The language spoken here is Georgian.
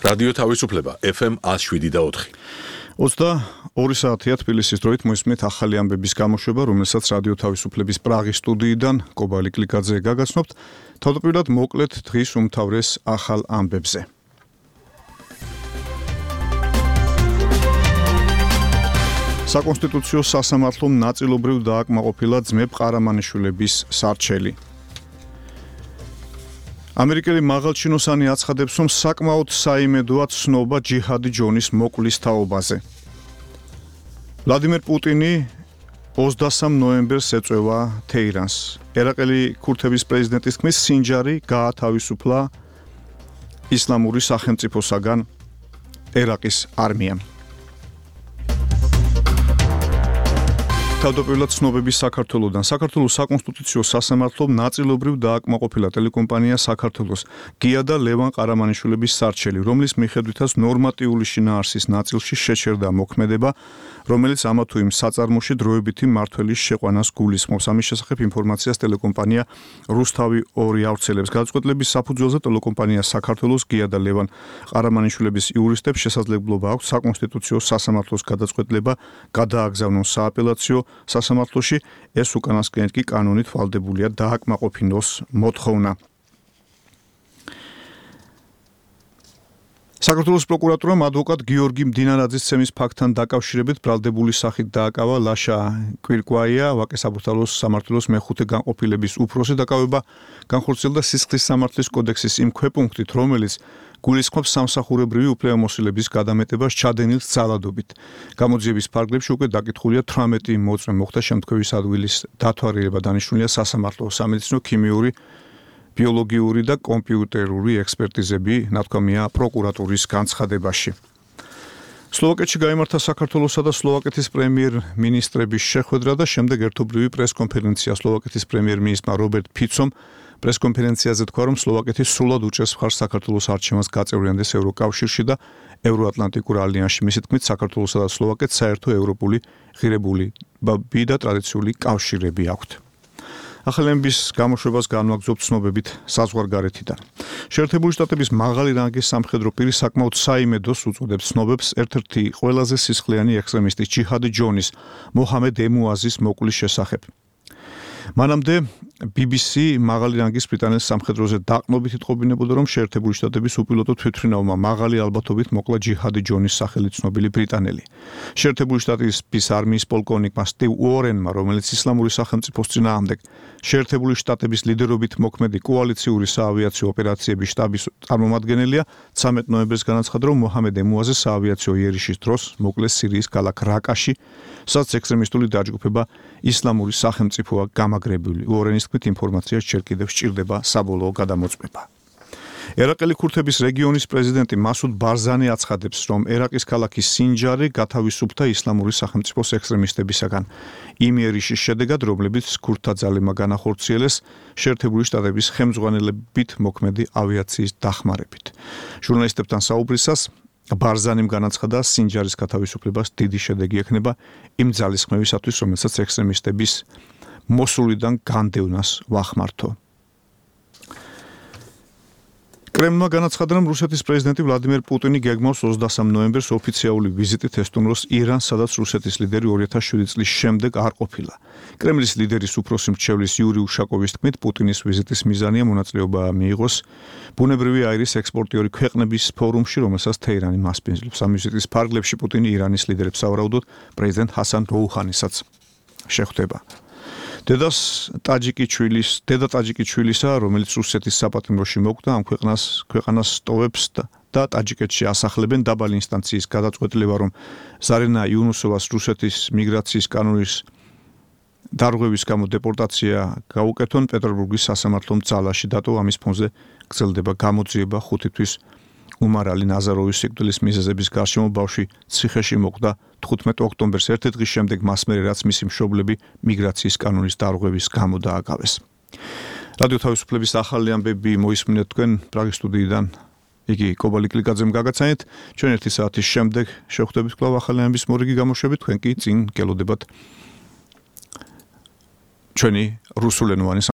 რადიო თავისუფლება FM 107.4. 22 საათია თბილისის დროით მოისმენთ ახალი ამბების გამოშვება, რომელსაც რადიო თავისუფლების პრაღის სტუდიიდან კობალი კლიკაძე გაგაცნობთ. თავდაპირველად მოკლედ დღის უმთავრეს ახალ ამბებზე. საკონსტიტუციო სასამართლომ ნაწილობრივ დააკმაყოფილა ძმებ ყარამანიშვილების სარჩელი. ამერიკელი მაღალჩინოსანი აცხადებს, რომ საკმაოდ საიმედოა ცნობა ჯიჰადი ჯონის მოკვლის თაობაზე. ვლადიმერ პუტინი 23 ნოემბერს ეწევა თეირანს. ერაყელი ქურთების პრეზიდენტის თქმის, სინჯარი გაათავისუფლა ისლამური სახელმწიფოსაგან ერაყის არმიამ. თავდაპირველად ცნობების საქართველოდან. საქართველოს საკონსტიტუციო სასამართლომ ნაწილობრივ დააკმაყოფილა ტელეკომპანია საქართველოს გია და ლევან ყარამანიშვილების სარჩელი, რომლის მიხედვითაც ნორმატიული შინაარსის ნაწილში შეჩერდა მოქმედება, რომელიც ამა თუ იმ საწარმოში დროებითი მმართველის შეყვანას გულისხმობს. ამის შესახებ ინფორმაციას ტელეკომპანია რუსთავი 2 ავრცელებს. გადაწყვეტილების საფუძველზე ტელეკომპანია საქართველოს გია და ლევან ყარამანიშვილების იურისტებს შესაძლებლობა აქვს საკონსტიტუციო სასამართლოს გადაწყვეტილება გადააგზავნონ სააპელაციო სასამართლოში, ეს უკანასკნელი კი კანონით ვალდებულია დააკმაყოფინოს მოთხოვნა. საქართველოს პროკურატურამ ადვოკატ გიორგი მდინარაძის ცემის ფაქტთან დაკავშირებით ბრალდებული სახით დააკავა ლაშა კვირკვაია, ვაკე-საბურთალოს სამართლოს მეხუთე განყოფილების უფროსი. დაკავება განხორციელდა სისხლის სამართლის კოდექსის იმ ქვეპუნქტით, რომელიც გულისხმობს სამსახურებრივი უფლებამოსილების გადამეტებას ჩადენილ ძალადობით. გამოძიების ფარგლებში უკვე დაკითხულია 18 მოწმე მოხდა შემთხვევის ადგილის დათვალიერება, დანიშნულია სასამართლო, სამედიცინო, ქიმიური, ბიოლოგიური და კომპიუტერული ექსპერტიზები, ნათქვამია პროკურატურის განცხადებაში. სლოვაკეთში გაიმართა საქართველოსა და სლოვაკეთის პრემიერ-მინისტრების შეხვედრა და შემდეგ ერთობლივი პრესკონფერენცია. სლოვაკეთის პრემიერ-მინისტრმა რობერტ ფიცომ პრესკონფერენციაზე თქვა, რომ სლოვაკეთი სრულად უჭერს მხარს საქართველოს არჩევანს გაწევრიანდეს ევროკავშირში და ევროატლანტიკურ ალიანსში. მისი თქმით, საქართველოსა და სლოვაკეთს საერთო ევროპული ღირებულები და ტრადიციული კავშირები აქვთ. ახალი ამბების გამოშვებას განვაგრძობთ ცნობებით საზღვარგარეთიდან. შეერთებული შტატების მაღალი რანგის სამხედრო პირი საკმაოდ საიმედოს უწოდებს ცნობებს ერთ-ერთი ყველაზე სისხლიანი ექსტრემისტის ჯიჰადი ჯონის მოჰამედ ემუაზის მოკვლის შესახებ. მანამდე BBC მაღალი რანგის ბრიტანეთის სამხედროზე დაყნობით იტყობინებოდა, რომ შეერთებული შტატების უპილოტო თვითმფრინავმა მაღალი ალბათობით მოკლა ჯიჰადი ჯონის სახელით ცნობილი ბრიტანელი. შეერთებული შტატების არმიის პოლკოვნიკმა სტივ უორენმა, რომელიც ისლამური სახელმწიფოს წინააღმდეგ შეერთებული შტატების ლიდერობით მოქმედი კოალიციური საავიაციო ოპერაციების შტაბის წარმომადგენელია, 13 ნოემბერს განაცხადა, რომ მოჰამედ ემუაზი საავიაციო იერიშის დროს მოკლეს სირიის ქალაქ რაკაში, სადაც ექსტრემისტული დაჯგუფება ისლამური სახელმწიფოა გამაგრებული. უორენის თქმით, ინფორმაციას ჯერ კიდევ სჭირდება საბოლოო გადამოწმება. ერაყელი ქურთების რეგიონის პრეზიდენტი მასუდ ბარზანი აცხადებს, რომ ერაყის ქალაქი სინჯარი გათავისუფლდა ისლამური სახელმწიფოს ექსტრემისტებისაგან იმ იერიშის შედეგად, რომლებიც ქურთთა ძალებმა განახორციელეს შეერთებული შტატების ხელმძღვანელობით მოქმედი ავიაციის დახმარებით. ჟურნალისტებთან საუბრისას ბარზანიმ განაცხადა, სინჯარის გათავისუფლებას დიდი შედეგი ექნება იმ ძალისხმევისათვის, რომელსაც ექსტრემისტების მოსულიდან განდევნას ვახმართო. კრემლმა განაცხადა, რომ რუსეთის პრეზიდენტი ვლადიმერ პუტინი გეგმავს 23 ნოემბერს ოფიციალური ვიზიტით ესტუმროს իրანს, სადაც რუსეთის ლიდერი 2007 წლის შემდეგ არ ყოფილა. კრემლის ლიდერის უფროსი მრჩევლის იური უშაკოვის თქმით, პუტინის ვიზიტის მიზანია მონაწილეობა მიიღოს ბუნებრივი აირის ექსპორტიორი ქვეყნების ფორუმში, რომელსაც თეირანი მასპინძლობს. ამ ვიზიტის ფარგლებში პუტინი ირანის ლიდერებს სავარაუდოდ პრეზიდენტ ჰასან როუჰანისაც შეხვდება. დედა ტაჯიკი ჩვილისა, რომელიც რუსეთის საპატიმროში მოკვდა, ამ ქვეყანას სტოვებს და ტაჯიკეთში ასახლებენ. დაბალი ინსტანციის გადაწყვეტილება, რომ ზარინა იუნუსოვას რუსეთის მიგრაციის კანონის დარღვევის გამო დეპორტაცია გაუკეთონ, პეტერბურგის სასამართლომ ძალაში დატოვა. ამის ფონზე გრძელდება გამოძიება 5 თვის უმარალი ნაზაროვის სიკვდილის მიზეზების გარშემო. ბავშვი ციხეში მოკვდა 15 ოქტომბერს, ერთი დღის შემდეგ მას მერე, რაც მისი მშობლები მიგრაციის კანონის დარღვევის გამო დააკავეს. რადიო თავისუფლების ახალი ამბები მოისმინეთ თქვენ პრაღის სტუდიიდან. იგი კობალი კლიკაძემ გაგაცანეთ. ჩვენ 1 საათის შემდეგ შევხვდებით კვლავ ახალი ამბების მორიგი გამოშვებით. თქვენ კი წინ გელოდებათ ჩვენი რუსულენოვანი